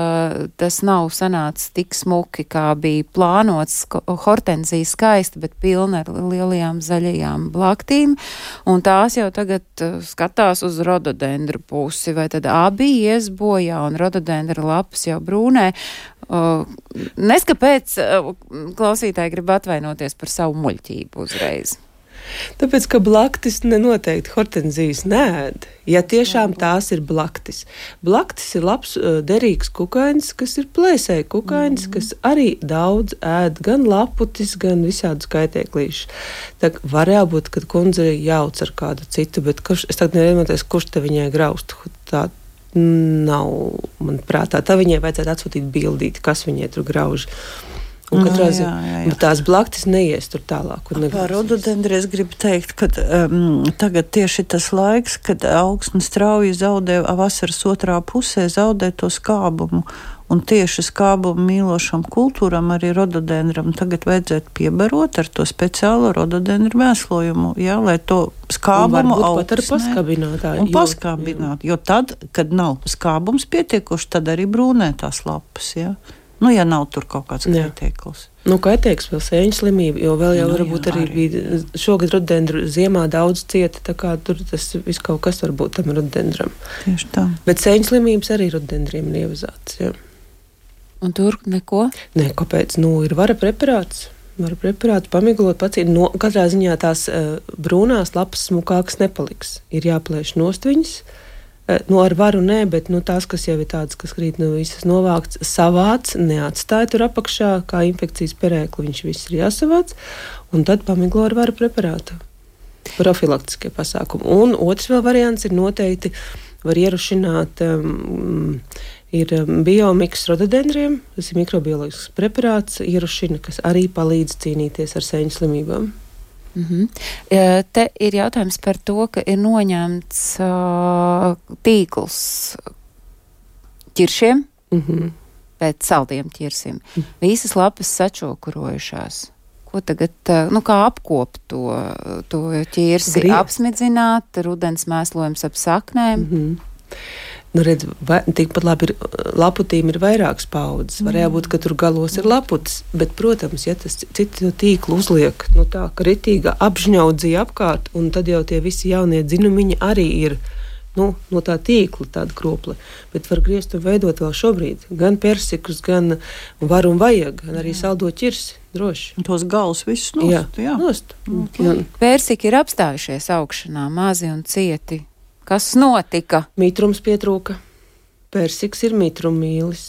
tas nav sanācis tik smuki, kā bija plānots. Hortenzija skaista, bet pilna ar lielajām zaļajām blaktīm, un tās jau tagad skatās uz rododendru pusi, vai tad abi ies bojā, un rododendra lapas jau brūnē. Neskapēc klausītāji grib atvainoties par savu muļķību uzreiz. Tāpēc, ka blaktis nenoteikti hortenzijas neēd. Ja tiešām tās ir blaktis. Blaktis ir labs, derīgs kukainis, kas ir plēsēji kukainis, kas arī daudz ēd gan laputis, gan visādus kaitēklīšus. Tā varēja būt, kad kundze jauc ar kādu citu, bet es tagad nevienoties, kurš te viņai graustu. Tā nav, man prātā. Tā viņai vajadzētu atsūtīt bildīti, kas viņai tur grauž. Un katrā ziņā tās blaktis neies tur tālāk. Par rododendru es gribu teikt, ka tagad tieši tas laiks, kad augsne strauji zaudē vasaras otrā pusē, zaudē to skābumu. Un tieši skābumu mīlošam kultūram, arī rododendram, tagad vajadzētu piebarot ar to speciālo rododendru mēslojumu, jā, lai to skābumu augsnē paskābināt. Jo tad, kad nav skābums pietiekoši, tad arī brūnē tās lapas, jā. Nu, ja nav tur kaut kāds kaitēklis. Nu, kaitēklis vēl sēņu slimība, jo vēl jau varbūt arī bija šogad rododendru ziemā daudz cieta, tā kā tur tas viss kaut kas var būt tam rododendram. Tieši tā. Bet sēņu slimības arī rododendriem ir ievazāts, jā. Un tur neko? Nē, kāpēc? Nu, ir vara preparāts, pamiglot, pacīt. No, katrā ziņā tās brūnās lapas smukākas nepaliks. Ir jāplēš nost viņas. Nu, ar varu nē, bet tās, kas jau ir tādas, kas krīt visas novākts, savāc, neatstāja tur apakšā, kā infekcijas perēkli, viņš viss ir jāsavāc, un tad pamiglo ar varu preparātu. Profilaktiskie pasākumi. Un otrs vēl variants ir noteikti, var ierušināt, ir biomiks rododendriem, tas ir mikrobioloģisks preparāts, ierušina, kas arī palīdz cīnīties ar sēņu slimībām. Te ir jautājums par to, ka ir noņemts tīkls ķiršiem pēc saldiem ķirsim. Visas lapas sačokurojušās. Ko tagad, kā apkopt to ķirsi? Apsmidzināt, rudens mēslojums ap saknēm? Nu, redz, tikpat labi laputīm ir vairākas paudzes. Varēja būt, ka tur galos ir laputis, bet, protams, ja tas citu tīklu uzliek, tā, ka ritīga apžņaudzīja apkārt, un tad jau tie visi jaunie dzinumiņi arī ir, no tā tīkla tāda kropla. Bet var griezt un veidot vēl šobrīd gan persikus, gan var un vajag, gan arī saldo ķirsi, droši. Tos galus visus nost. Jā, nost. Persiki ir apstājušies augšanā, mazi un cieti. Kas notika? Mitrums pietrūka. Persiks ir mitrumīlis.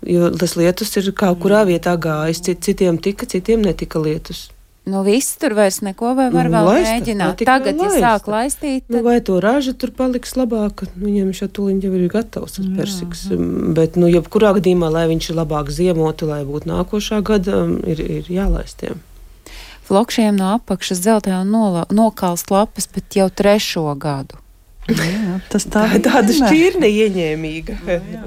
Jo tas lietus ir kaut kurā vietā gājis. Citiem tika, citiem netika lietus. Viss tur vairs neko vai var vēl mēģināt. Tagad, ja sāk laistīt, tad... vai to raža tur paliks labāk, viņam šā tuliņ jau ir gatavs tas persiks. Bet, jebkurā gadījumā, lai viņš labāk ziemotu, lai būtu nākošā gada, ir jālaistiem. Flokšiem no apakšas dzeltē un nokalst lapas, bet jau 3. gadu. Jā, tas tāda šķirne ieņēmīga.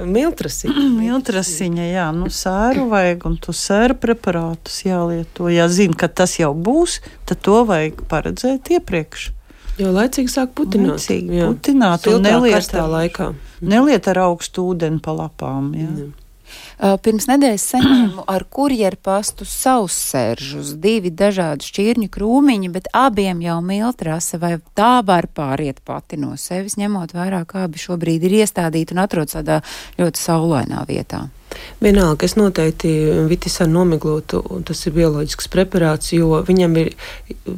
Miltrasiņa. Miltrasiņa, jā. Sēru vajag, un tu sēru preparātus jālieto. Ja zini, ka tas jau būs, tad to vajag paredzēt iepriekš. Jo laicīgi sāk putināt. Putināt un neliet ar augstu ūdeni pa lapām, jā. Pirms nedēļas saņēmu ar kurjeru pastu saussēržus, 2 dažādi šķirņu krūmiņi, bet abiem jau miltrase, vai tā var pāriet pati no sevis, ņemot vērā, kā abi šobrīd ir iestādīti un atrodas tādā ļoti saulainā vietā. Vienalga, es noteikti vitisanu nomiglotu, un tas ir bioloģisks preparāts, jo viņam ir,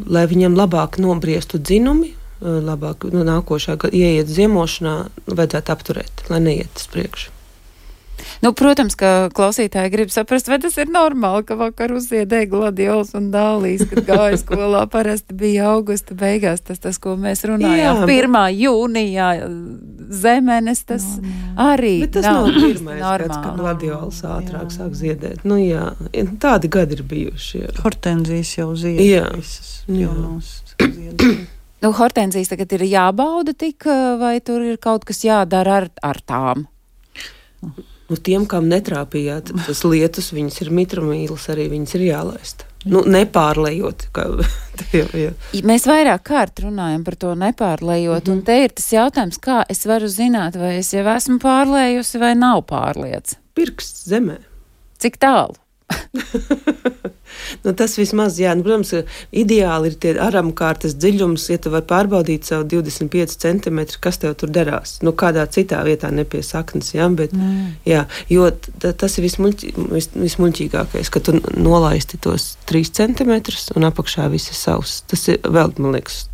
lai viņam labāk nobriestu dzinumi, labāk nākošā ieiet ziemošanā, vajadzētu apturēt, lai neiet uz priekšu. Protams, ka klausītāji grib saprast, vai tas ir normāli, ka vakar uzziedēja gladiols un dālīs, kad gāja skolā, parasti bija augusta beigās, tas, ko mēs runājām. 1. jūnijā zemenes, tas arī bet tas nav pirmais gads, kad gladiols ātrāk sāk ziedēt. Tādi gadi ir bijuši. Jā. Hortenzijas jau zied visas jaunos ziedēt. Hortenzijas tagad ir jābauda tik, vai tur ir kaut kas jādara ar tām? Tiem, kam netrāpījāt tas lietus, viņas ir mitrumīlis, arī viņas ir jālaist. Nepārlejot. Mēs vairāk kārt runājam par to nepārlejot, un te ir tas jautājums, kā es varu zināt, vai es jau esmu pārlējusi vai nav pārliec. Pirksts zemē. Cik tālu? Nu, tas vismaz, jā, protams, ideāli ir tie aramkārtas dziļums, ja tu vari pārbaudīt savu 25 centimetru, kas tev tur derās. Kādā citā vietā nepie saknes, jā, bet, jā, jo tas ir vismuļķīgākais, ka tu nolaisti tos 3 centimetrus un apakšā viss ir savs. Tas ir vēl, man liekas,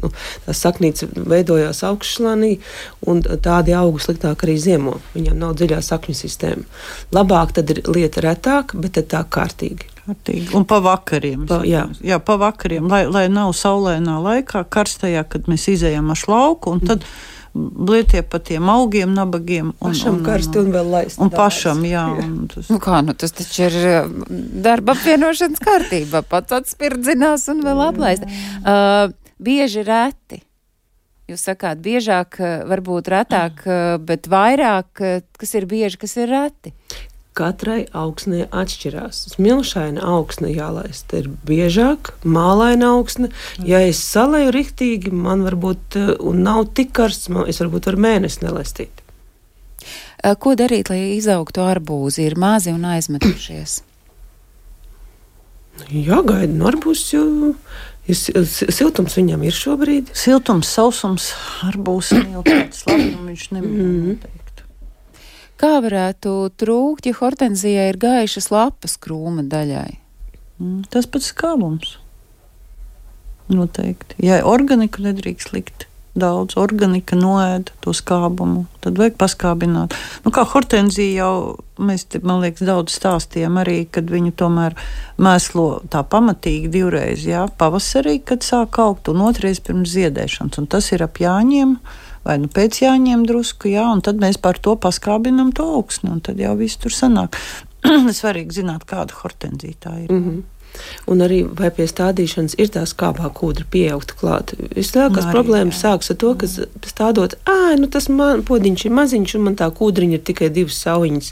tās saknītes veidojās augšslānī un tādi augu sliktāk arī ziemo. Viņam nav dziļā sakņu sistēma. Labāk tad ir lieta retāk, bet tad tā kārtīgi. Un pa vakariem. Jā, pa vakariem, lai nav saulēnā laikā, karstajā, kad mēs izējam ar lauku, un tad blietie pa tiem augiem, nabagiem. Pašam karsti un vēl laist. Un pašam, jā. Tas taču ir darba apvienošanas kārtībā. Pats atspirdzinās un vēl aplaist. Bieži reti. Jūs sakāt, biežāk, varbūt retāk, bet vairāk, kas ir bieži, kas ir reti? Katrai augsnē atšķirās. Smilšaina augsne jālaist ir biežāk, mālaina augsne. Ja es salēju riktīgi, man varbūt, un nav tik karsts, es varbūt varu mēnesi nelaistīt. Ko darīt, lai izaugtu arbūzi? Ir mazi un aizmetušies. Jāgaida no arbūzes, jo siltums viņam ir šobrīd. Siltums, sausums, arbūzes jau tāds labi, un viņš noteikti. Kā varētu trūkt, ja hortenzijai ir gaišas lapas krūma daļai? Tas pats skābums. Noteikti. Ja organiku nedrīkst likt daudz, organika noēda to skābumu, tad vajag paskābināt. Kā hortenzija jau, mēs te, man liekas, daudz stāstījām arī, kad viņu tomēr mēslo tā pamatīgi 2 reizes, jā, pavasarī, kad sāk augt, un 2 reizes pirms ziedēšanas, un tas ir ap jāņiem, vai pēc jāņem drusku, jā, un tad mēs par to paskābinam to augsni, un tad jau viss tur sanāk. Svarīgi zināt, kāda hortenzija tā ir. Un arī vai pie stādīšanas ir tā skābā kūdra pieaugta klāt. Vislielākās problēmas sāks ar to, ka stādot, tas podiņš ir maziņš un man tā kūdriņa ir tikai 2 saujiņas.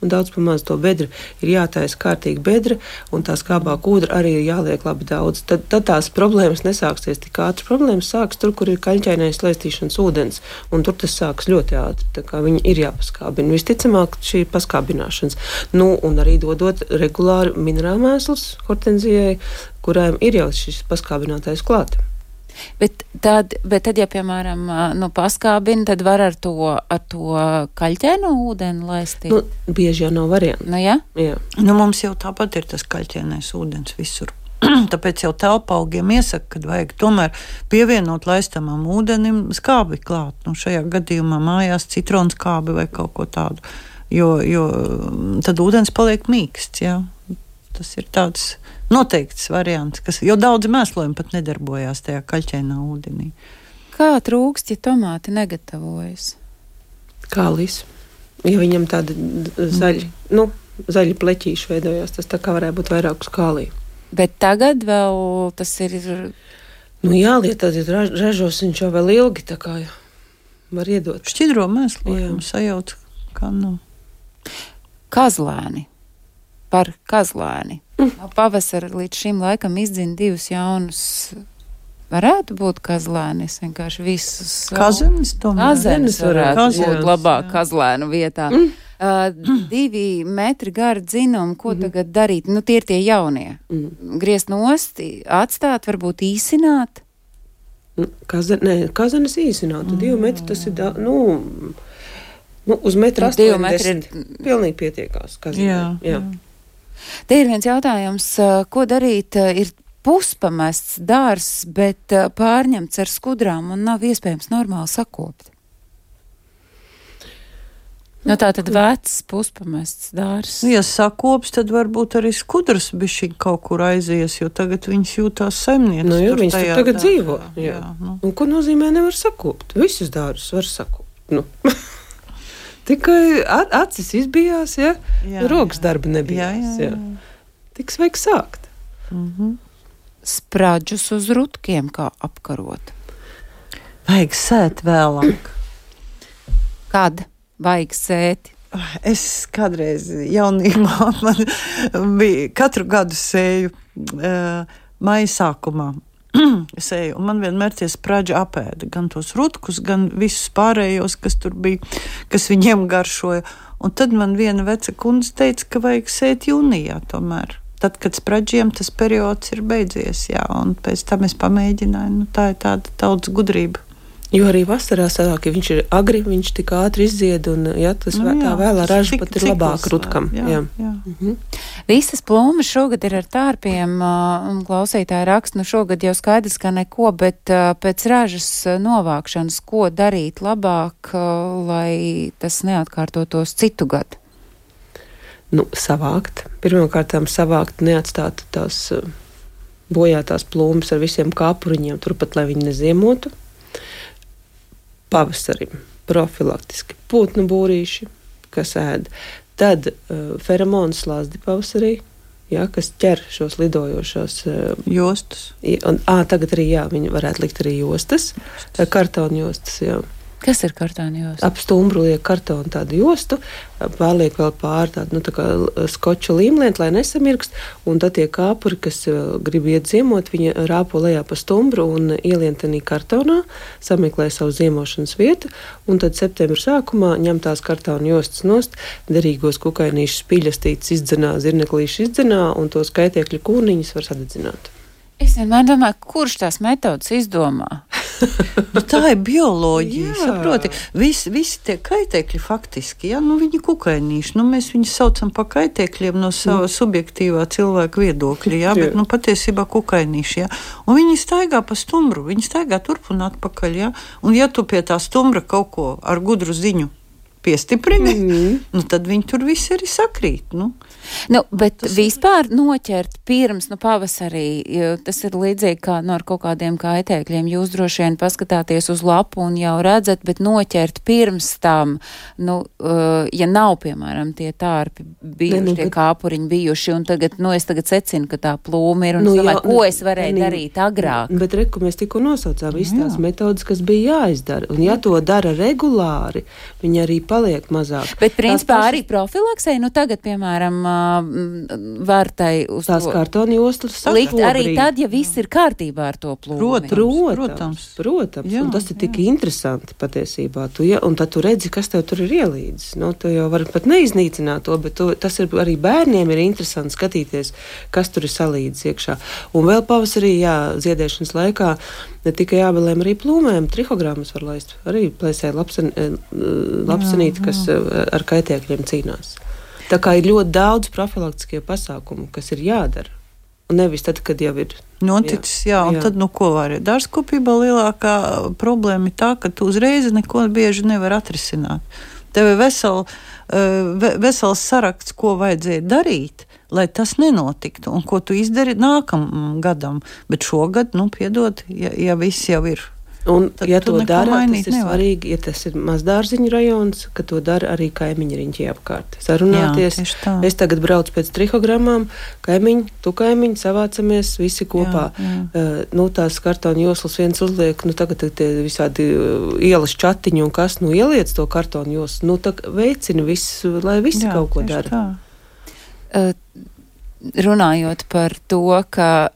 Daudz pamaz to bedra ir jātaisa kārtīgi bedra un tā skābā kūdra arī ir jāliek labi daudz. Tad tās problēmas nesāksies tik ātri. Problēmas sāks tur, kur ir kaļķainais laistīšanas ūdens, un tur tas sāks ļoti ātri. Tā kā viņi ir jāpaskābina. Visticamāk, šī ir paskābināšanas. Un arī dodot regulāri minerālmēslus hortenzijai, kurām ir jau šis paskābinātais klāt. Bet tad, ja, piemēram, paskābina, tad var ar to kaļķēno ūdeni laistīt? Bieži jau nav variantu. Jā? Jā. Mums jau tāpat ir tas kaļķēnais ūdens visur. Tāpēc jau telpaugiem iesaka, kad vajag tomēr pievienot laistamam ūdenim skābi klāt. Šajā gadījumā mājās citronskābi vai kaut ko tādu, jo tad ūdens paliek mīksts, jā. Tas ir tāds noteikts variants, jo daudzi mēslojumi pat nedarbojās tajā kaļķainā ūdenī. Kā trūkst, ja tomāti negatavojas? Kālis. Ja viņam tādi zaļi pleķīši veidojās, tas tā kā varētu būt vairāk uz kālī. Bet tagad vēl tas ir... Jāliet, tad ražos viņš jau vēl ilgi, tā kā var iedot. Šķidro mēslojumu sajūt, kā Kazlēni. Par kazlēni. Pavasara līdz šim laikam izdzina 2 jaunus. Varētu būt kazlēni. Es vienkārši visus... Kazenes tomēr. Kazenes varētu būt labāk kazlēnu vietā. 2 metri gara dzinumi, ko tagad darīt? Tie ir tie jaunie. Griezt nost, atstāt, varbūt īsināt? Kazenes īsināt. 2 metri tas ir, uz 1,80 m pilnīgi pietiekās. Jā. Te ir viens jautājums, ko darīt, ir puspamests dārs, bet pārņemts ar skudrām un nav iespējams normāli sakopt. Tātad vecs puspamests dārs. Ja sakops, tad varbūt arī skudras bišķiņ kaut kur aizies, jo tagad viņas jūtās saimnieces. Jo viņas tur tagad dzīvo. Jā. Un ko nozīmē nevar sakopt? Visus dārus var sakopt. Tikai acis izbijās, ja? Rokas darba nebijās. Jā. Tiks vajag sākt. Spraģus uz rutkiem kā apkarot. Vajag sēt vēlāk. Kad vajag sēt? Es kādreiz jaunībā man bija katru gadu sēju maija sākumā. Sēju, un man vienmēr tie spraģi apēda gan tos rutkus, gan visus pārējos, kas tur bija, kas viņiem garšoja. Un tad man viena veca kundze teica, ka vajag sēt jūnijā tomēr. tad, kad spraģiem tas periods ir beidzies, jā, un pēc tam es pamēģināju, tā ir tāda tautas gudrība. Jo arī vasarā sanāk, ja viņš ir agri, viņš tik ātri izzied, un tas tā vēlā raža pat ir labāk rutkam. Jā. Visas plūmes šogad ir ar tārpiem, un klausītāji raksta, šogad jau skaidrs, ka neko, bet pēc ražas novākšanas, ko darīt labāk, lai tas neatkārtotos citu gadu? Savākt. Pirmkārtām savākt, neatstāt tās bojātās plūmes ar visiem kāpuriņiem, turpat, lai viņi neziemotu. Pavasarim profilaktiski putnu būrīši, kas ēd. Tad feromonu slazdi pavasarī, kas ķer šos lidojošos jostas. Tagad arī, viņi varētu likt arī jostas, kartona jostas, Kas ir kartona josta? Ap stumbru liek kartonu tādu jostu, pārliek vēl pār tādu, tā kā skoča līmlientu, lai nesamirkst, un tad tie kāpuri, kas grib iet ziemot, viņi rāpo lejā pa stumbru un ielien tenī kartonā, sameklē savu ziemošanas vietu, un tad septembra sākumā ņem tās kartona jostas nost, derīgos kukainīšus pīļastītes izdzenā, zirneklīšus izdzenā, un tos kaitiekļu kūniņus var sadedzināt. Es vienmēr domāju, kurš tās metodas izdomā? Tā ir bioloģija, saproti. Visi tie kaitēkļi faktiski, viņi kukainīši. Mēs viņus saucam pa kaitēkļiem no sava subjektīvā cilvēka viedokļa, bet patiesībā kukainīši, Un viņi staigā pa stumbru, viņi staigā turp un atpakaļ, Un ja tu pie tā stumbra kaut ko ar gudru ziņu piestiprini, tad viņi tur visi arī sakrīt, Bet vispār noķert pirms, pavasarī, tas ir līdzīgi kā ar kaut kādiem kaitēkļiem. Jūs droši vien paskatāties uz lapu un jau redzat, bet noķert pirms tam, ja nav, piemēram, tie tārpi bijuši, tie kāpuriņi bijuši, un es tagad secinu, ka tā plūma ir, un domāju, ko es varēju darīt agrāk. Bet reku mēs tikko nosaucām visas tās metodas, kas bija jāizdara, un ja to dara regulāri, viņi arī paliek mazāk. Bet principā arī profilaksei, tagad, piemēram, var tai uz tās kartona jostas likt arī tad, ja viss ir kārtībā ar to plūmi. Protams. Un tas ir tik interesanti patiesībā. Un tad tu redzi, kas tev tur ir ielīdzis. Tu jau vari pat neiznīcināt to, bet tas ir arī bērniem ir interesanti skatīties, kas tur ir salīdzis iekšā. Un vēl pavasarī, ziedēšanas laikā, ne tikai jābelēm arī plūmēm, trihogrammas var laist. Arī plēsē lapsenīti, kas ar kaitēkļiem cīnās. Tā kā ir ļoti daudz profilaktiskie pasākumu, kas ir jādara. Un nevis tad, kad jau ir noticis, un tad, ko var. Dārzkopībā lielākā problēma ir tā, ka tu uzreiz neko bieži nevar atrisināt. Tev ir vesels saraksts, ko vajadzēja darīt, lai tas nenotiktu, un ko tu izdari nākamam gadam. Bet šogad, piedod, ja viss jau ir. Un, ja to dara, tas ir svarīgi, ja tas ir mazdārziņu rajons, ka to dara arī kaimiņi riņķi apkārt. Sarunāties. Es tagad braucu pēc trihogrammām, kaimiņi, tu kaimiņi, savācamies visi kopā. Tās kartona joslas viens uzliek, tagad tie visādi ielas čatiņi un kas, ieliec to kartona joslu, veicina visu, lai visi kaut ko dara. Runājot par to, ka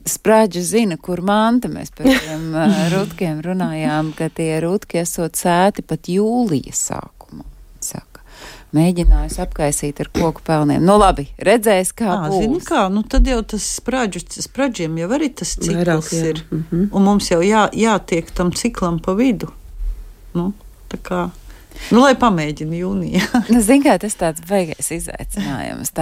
spraģi zina, kur manta. Mēs par tiem rutkiem runājām, ka tie rutki esot sēti pat jūlija sākumā. Saka, mēģinājis apkaisīt ar koku pelniem. Labi, redzēs, kā būs. Zini kā, tad jau tas spraģiem jau arī tas cikls ir. Un mums jau jātiek tam ciklam pa vidu. Tā kā... lai pamēģina jūnijā. Zini kā, tas tāds beigais izaicinājums.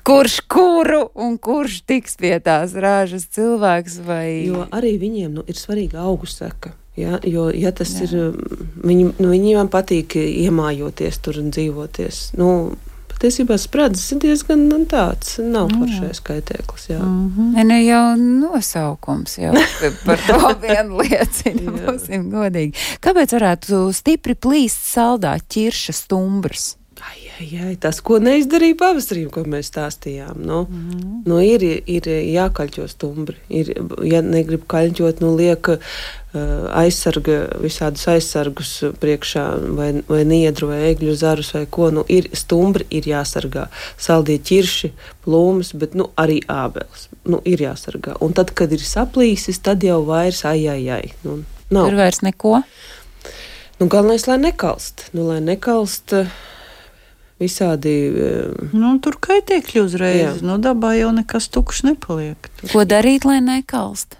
Kurš kuru un kurš tiks pie tās rāžas cilvēks vai... Jo arī viņiem ir svarīga augu seka. Jo, ja tas ir... Viņiem patīk iemājoties tur un dzīvoties. Patiesībā spradzes ir diezgan tāds, nav foršais kaitēklis. Jau nosaukums jau par to vienu liecina, būsim godīgi. Kāpēc varētu stipri plīst saldā ķirša stumbrs? Tas, ko neizdarīja pavasarī, ko mēs stāstījām. Ir jākaļķo stumbri. Ja negrib kaļķot, liek aizsarga, visādus aizsargus priekšā, vai niedru, vai egļu zarus, vai ko. Stumbri ir jāsargā. Saldie ķirši, plūmes, bet arī ābeles. Ir jāsargā. Un tad, kad ir saplīsis, tad jau vairs nav. Tur vairs neko? Galvenais, lai nekalst. Lai nekalst... visādi. Tur kaitēkļi uzreiz. Dabā jau nekas tukšs nepaliek. Ko darīt, lai nekalst?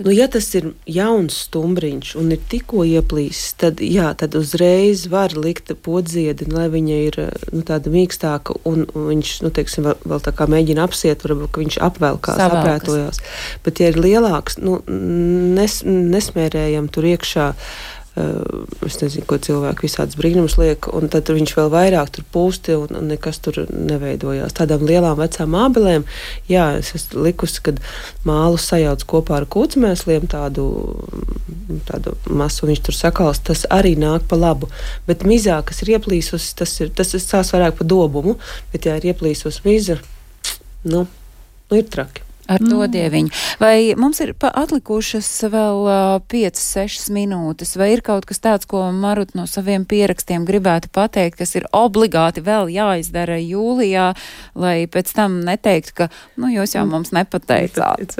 Ja tas ir jauns stumbriņš un ir tikko ieplīsis, tad uzreiz var likt podziedi, lai viņa ir tāda mīkstāka un viņš, teiksim, vēl tā kā mēģina apsiet, varbūt, ka viņš apvelkās, aprētojās. Bet, ja ir lielāks, nesmērējam tur iekšā, es nezinu, ko cilvēki visādas brīnumus liek, un tad viņš vēl vairāk tur pūsti un nekas tur neveidojās. Tādām lielām vecām ābelēm, es esmu likusi, kad mālu sajauc kopā ar kūcmēsliem tādu masu, viņš tur sakals, tas arī nāk pa labu. Bet mizā, kas ir ieplīsus, tas sās vairāk pa dobumu, bet ja ir ieplīsus miza, ir traki. Ar to dieviņu. Vai mums ir atlikušas vēl 5-6 minūtes, vai ir kaut kas tāds, ko Marut no saviem pierakstiem gribētu pateikt, kas ir obligāti vēl jāizdara jūlijā, lai pēc tam neteiktu, ka, jūs jau mums nepateicāt?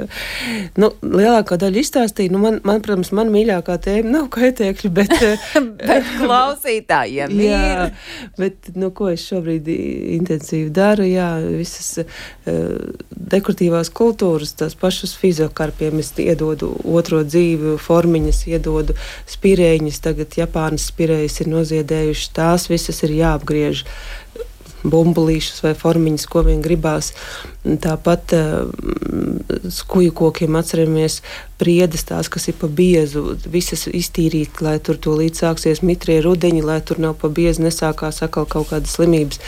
Lielākā daļa izstāstīja, protams, man mīļākā tēma nav kaitēkļi, bet... bet klausītājiem ir. Jā, bet, ko es šobrīd intensīvi daru, visas dekoratīvās kultūras, tās pašas fiziokarpiem, es iedodu otro dzīvi, formiņas, iedodu spirēņas, tagad Japānas spirējas ir noziedējušas, tās visas ir jāapgriež, bumbulīšas vai formiņas, ko vien gribās. Tāpat skuju kokiem atceramies priedes tās, kas ir pa biezu, visas iztīrīt, lai tur to līdz sāksies mitrie rudeņi, lai tur nav pa biezu, nesākās atkal kaut kādas slimības.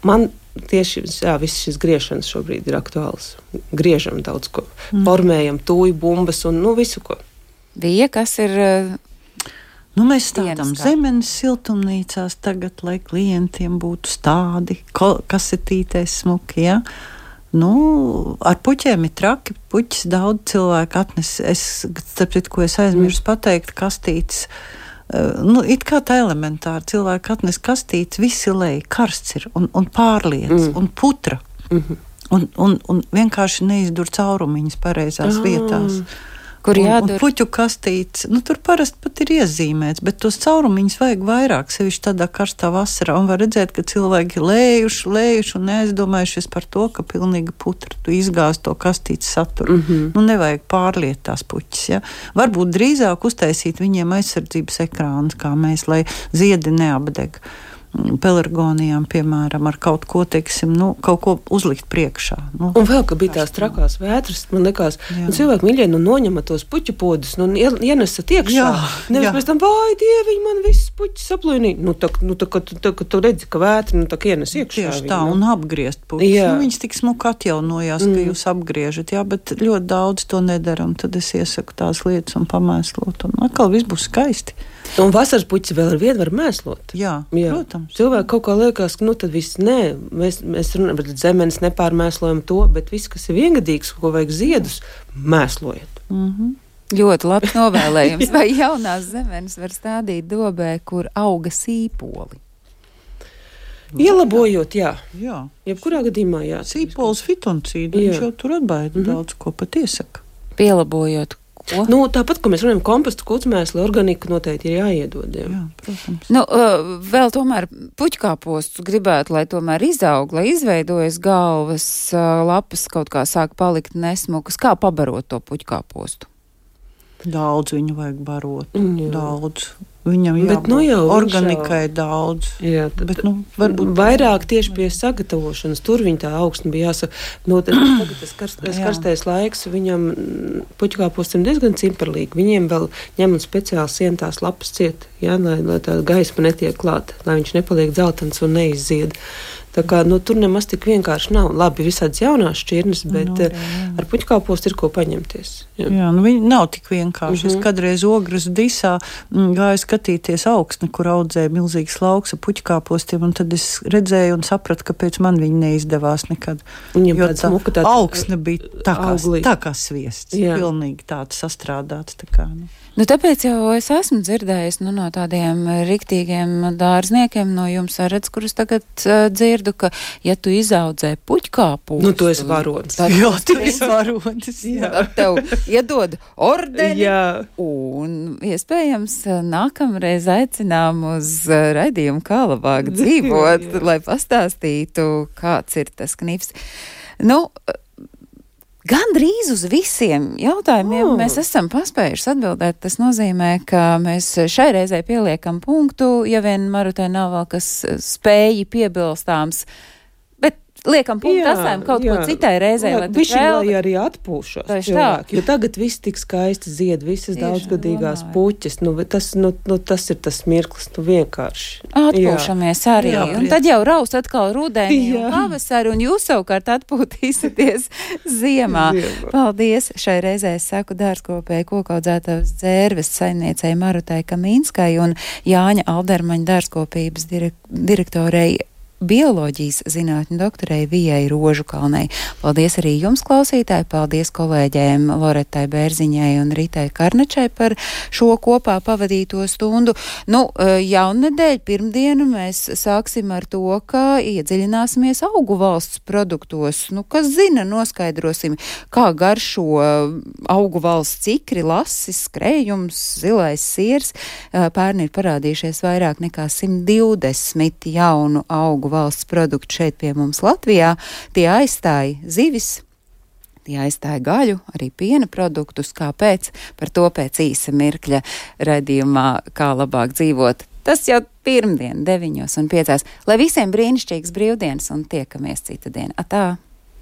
Man tieši viss šis griešanas šobrīd ir aktuāls. Griežam daudz ko. Formējam tūju, bumbas un visu ko. Vija, kas ir... mēs stādām zemenes siltumnīcās tagad, lai klientiem būtu stādi, kasetītēs smuki, ar puķiem ir traki, puķis daudz cilvēku atnes. Starp citu, ko es aizmirsu pateikt, kastītes. It kā tā elementāri cilvēki atnes kastītes, visi lej, karsts ir un pārliec, un putra, un vienkārši neizdur caurumiņas pareizās vietās. Kur jādur? Un puķu kastītes, tur parasti pat ir iezīmēts, bet tos caurumiņus vajag vairāk, sevišķi tādā karstā vasarā, un var redzēt, ka cilvēki lējuši un neaizdomājušies par to, ka pilnīgi putra tu izgāz to kastītes saturu. Nevajag pārliet tās puķis, Varbūt drīzāk uztaisīt viņiem aizsardzības ekrānus, kā mēs, lai ziedi neapdeg. Pelargonijām, piemēram, ar kaut ko, teiksim, kaut ko uzlikt priekšā. Un vēl, ka bija tās trakās vētras, man likās, cilvēki mīļie, noņemat tos puķu podus, ienesat iekšā. Nevis pēc tam, vai dieviņ, man viss puķis saplīnīja. Kad tu redzi, ka vētra, tak ienes iekšā. Tieši tā, un apgriezt puķis. Viņas tik smuki atjaunojās, ka jūs apgriežat, bet ļoti daudz to nedara, un tad es iesaku tās lietas un pamēslot, un atkal viss būs skaisti. Un vasaras puķis vēl ar vienu var mēslot. Jā, protams. Cilvēki kaut kā liekas, ka tad viss mēs runājam, bet zemenes nepārmēslojam to, bet viss, kas ir viengadīgs, ko vajag ziedus, mēslojiet. Ļoti labs novēlējums. Vai jaunās zemenes var stādīt dobē, kur auga sīpoli? Ielabojot, jā. Jebkurā gadījumā, jā. Sīpols fitoncīdu, viņš jau tur atbaida daudz ko pat iesaka. Pielabojot. Tāpat, ko mēs runājam, kompostu, kucmēsli, organiku noteikti ir jāiedod. Jā, protams. Vēl tomēr puķkāpostus gribētu, lai tomēr izaug, lai izveidojas galvas lapas, kaut kā sāk palikt nesmukas. Kā pabarot to puķkāpostu? Daudz viņu vajag barot. Daudz. Viņam jābūt organikai daudz. Jā, bet varbūt vairāk tieši pie sagatavošanas. Tur viņa tā augsne bija jāsaka. Tagad tas karstais laiks, viņam puķkāpostam diezgan cimperlīgi. Viņiem vēl ņem un speciāli sien tās lapas ciet, lai tā gaisma netiek klāta, lai viņš nepaliek dzeltens un neizzied. Tā kā, tur nemaz tik vienkārši nav. Labi, visādas jaunās šķirnes, bet ar puķkāpostu ir ko paņemties. Viņi nav tik vienkārši. Es kādreiz Ogras disā gāju skatīties augsni, kur audzēja milzīgas lauks ar puķkāpostiem, un tad es redzēju un sapratu, kāpēc man viņi neizdevās nekad. Jo tā augsne bija tā kā sviests. Pilnīgi tāds sastrādāts. Tā kā, tāpēc jau es esmu dzirdējis no tādiem riktīgiem dārzniekiem no jums redz, kurus tagad dzirdu dzirdu, ka, ja tu izaudzē puķkāpūstu... Nu, tu esi varonis. Jā, tu esi varonis. Tad tev iedod ordeni. Jā. Un iespējams nākamreiz aicinām uz raidījumu Kā labāk dzīvot, lai pastāstītu, kāds ir tas knifs. Nu, gandrīz uz visiem jautājumiem mēs esam paspējuši atbildēt. Tas nozīmē, ka mēs šai reizē pieliekam punktu, ja vien Marutai nav vēl kas spēji piebilstāms. Bet liekam punktu, atstājam kaut ko citai reizē. Lai arī atpūšos cilvēki, jo tagad viss tik skaisti zied, visas daudzgadīgās puķes. Tas ir tas mirklis, vienkārši. Atpūšamies arī. Un tad jau raus atkal rudenī un pavasari, un jūs savukārt atpūtīsieties ziemā. Paldies! Šai reizē es saku dārzkopēju kokaudzētavas dzērves saimniecei Marutai Kamīnskai un Jāņa Aldermaņa dārzkopības direktorei bioloģijas zinātņu doktorei Vijai Rožukalnei. Paldies arī jums, klausītāji, paldies kolēģiem Loretai Bērziņai un Ritai Karnačai par šo kopā pavadīto stundu. Jaunedēļ pirmdienu mēs sāksim ar to, ka iedziļināsimies augu valsts produktos. Kas zina, noskaidrosim, kā garšo augu valsts cikri, lasis, skrējums, zilais siers. Pērn ir parādījušies vairāk nekā 120 jaunu augu valsts produktu šeit pie mums Latvijā. Tie aizstāja zivis, tie aizstāja gaļu, arī piena produktus. Kāpēc? Par to pēc īsa mirkļa raidījumā Kā labāk dzīvot. Tas jau pirmdien 9:05. Lai visiem brīnišķīgas brīvdienas un tiekamies cita diena. Atā!